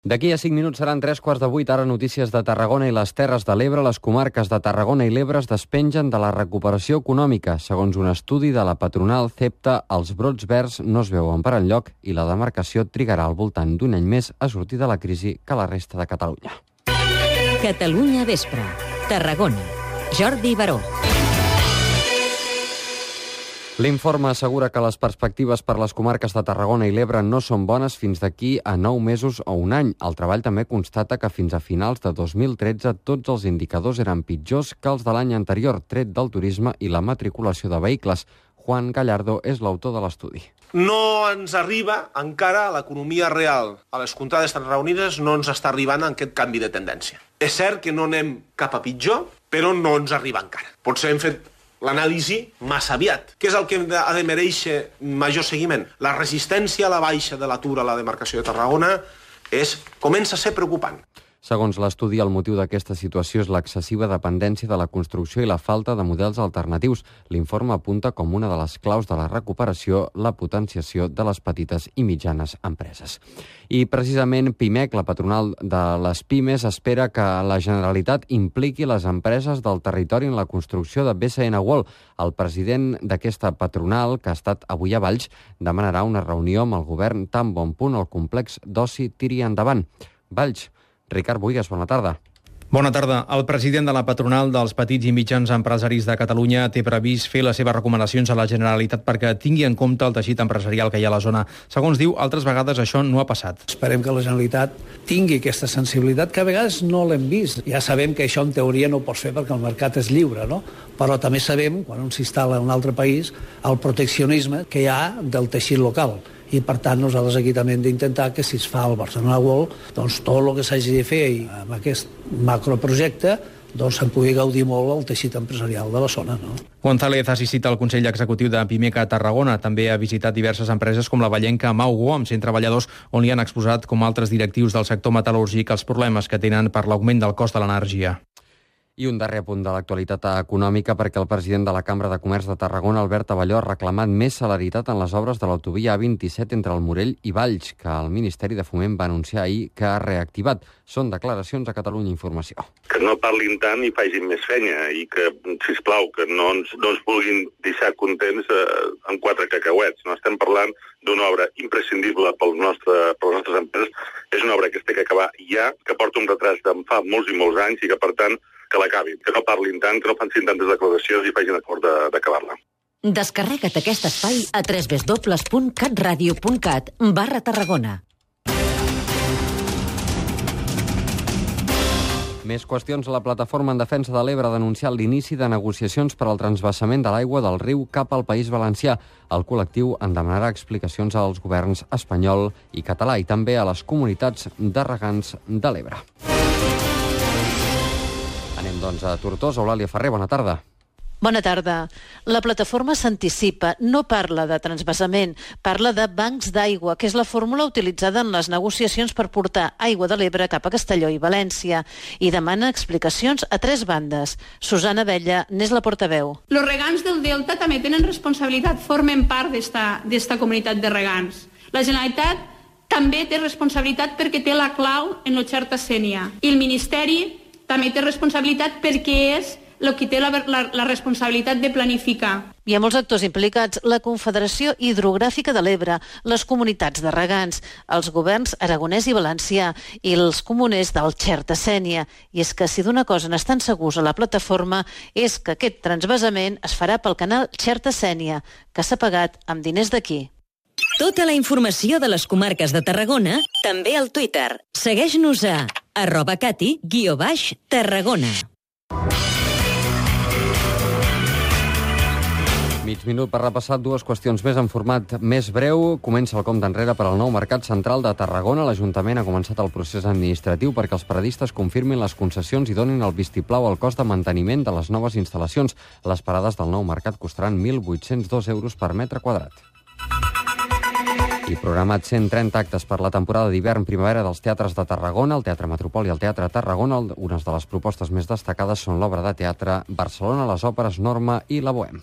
D'aquí a 5 minuts seran 3:15. Ara notícies de Tarragona i les Terres de l'Ebre. Les comarques de Tarragona i l'Ebre es despengen de la recuperació econòmica. Segons un estudi de la patronal CEPTA, els brots verds no es veuen per enlloc i la demarcació trigarà al voltant d'un any més a sortir de la crisi que la resta de Catalunya. Catalunya Vespre. Tarragona. Jordi Baró. L'informe assegura que les perspectives per les comarques de Tarragona i l'Ebre no són bones fins d'aquí a 9 mesos o un any. El treball també constata que fins a finals de 2013 tots els indicadors eren pitjors que els de l'any anterior, tret del turisme i la matriculació de vehicles. Juan Gallardo és l'autor de l'estudi. No ens arriba encara a l'economia real. A les contrades tarragonines no ens està arribant aquest canvi de tendència. És cert que no anem cap a pitjor, però no ens arriba encara. Potser hem fet l'anàlisi massa aviat. Què és el que ha de mereixer major seguiment? La resistència a la baixa de l'atur a la demarcació de Tarragona comença a ser preocupant. Segons l'estudi, el motiu d'aquesta situació és l'excessiva dependència de la construcció i la falta de models alternatius. L'informe apunta com una de les claus de la recuperació la potenciació de les petites i mitjanes empreses. I precisament PIMEC, la patronal de les pimes, espera que la Generalitat impliqui les empreses del territori en la construcció de BCN World. El president d'aquesta patronal, que ha estat avui a Valls, demanarà una reunió amb el govern tan bon punt el complex d'oci tiri endavant. Valls. Ricard Buigas, bona tarda. Bona tarda. El president de la patronal dels petits i mitjans empresaris de Catalunya té previst fer les seves recomanacions a la Generalitat perquè tingui en compte el teixit empresarial que hi ha a la zona. Segons diu, altres vegades això no ha passat. Esperem que la Generalitat tingui aquesta sensibilitat, que a vegades no l'hem vist. Ja sabem que això en teoria no ho pots fer perquè el mercat és lliure, no? Però també sabem, quan un s'instal·la en un altre país, el proteccionisme que hi ha del teixit local. I, per tant, nosaltres aquí també hem d'intentar que si es fa el Barcelona World, doncs tot el que s'hagi de fer amb aquest macroprojecte doncs se'n pugui gaudir molt el teixit empresarial de la zona, no? González ha assistit al Consell Executiu de PIMEC a Tarragona. També ha visitat diverses empreses com la vallenca Maugo, amb 100 treballadors, on li han exposat, com altres directius del sector metal·lúrgic, els problemes que tenen per l'augment del cost de l'energia. I un darrer punt de l'actualitat econòmica, perquè el president de la Cambra de Comerç de Tarragona, Albert Abelló, ha reclamat més celeritat en les obres de l'autovia A27 entre el Morell i Valls, que el Ministeri de Foment va anunciar ahir que ha reactivat. Són declaracions a Catalunya Informació. Que no parlin tant i facin més fenya i que, sisplau, que no ens vulguin deixar contents amb 4 cacauets. No estem parlant d'una obra imprescindible per les nostres empreses. És una obra que es té que acabar ja, que porta un retras de fa molts i molts anys i que, per tant, que l'acabin, que no parlin tant, que no facin tantes declaracions i facin acord d'acabar-la. Descarrega't aquest espai a www.catradio.cat/Tarragona. Més qüestions. La Plataforma en Defensa de l'Ebre ha denunciat l'inici de negociacions per al transvasament de l'aigua del riu cap al País Valencià. El col·lectiu en demanarà explicacions als governs espanyol i català i també a les comunitats de regants de l'Ebre. Anem, doncs, a Tortosa. Eulàlia Ferrer, bona tarda. Bona tarda. La plataforma s'anticipa, no parla de transvasament, parla de bancs d'aigua, que és la fórmula utilitzada en les negociacions per portar aigua de l'Ebre cap a Castelló i València, i demana explicacions a 3 bandes. Susana Abella n'és la portaveu. Els regants del Delta també tenen responsabilitat, formen part d'esta comunitat de regants. La Generalitat també té responsabilitat perquè té la clau en el Xerta Sénia, i el Ministeri també té responsabilitat perquè és el que té la responsabilitat de planificar. Hi ha molts actors implicats: la Confederació Hidrogràfica de l'Ebre, les comunitats de regants, els governs aragonès i valencià i els comuners del Xerta Sénia. I és que si d'una cosa n'estan segurs a la plataforma és que aquest transvasament es farà pel canal Xerta Sénia, que s'ha pagat amb diners d'aquí. Tota la informació de les comarques de Tarragona també al Twitter. Segueix-nos a @cati_Tarragona. Mig minut per repassar 2 qüestions més en format més breu. Comença el compte enrere per al nou Mercat Central de Tarragona. L'Ajuntament ha començat el procés administratiu perquè els paradistes confirmin les concessions i donin el vistiplau al cost de manteniment de les noves instal·lacions. Les parades del nou mercat costaran 1.802 euros per metre quadrat. I programat 130 actes per la temporada d'hivern-primavera dels teatres de Tarragona, el Teatre Metropol i el Teatre Tarragona. Unes de les propostes més destacades són l'obra de teatre Barcelona, les òperes Norma i la Bohème.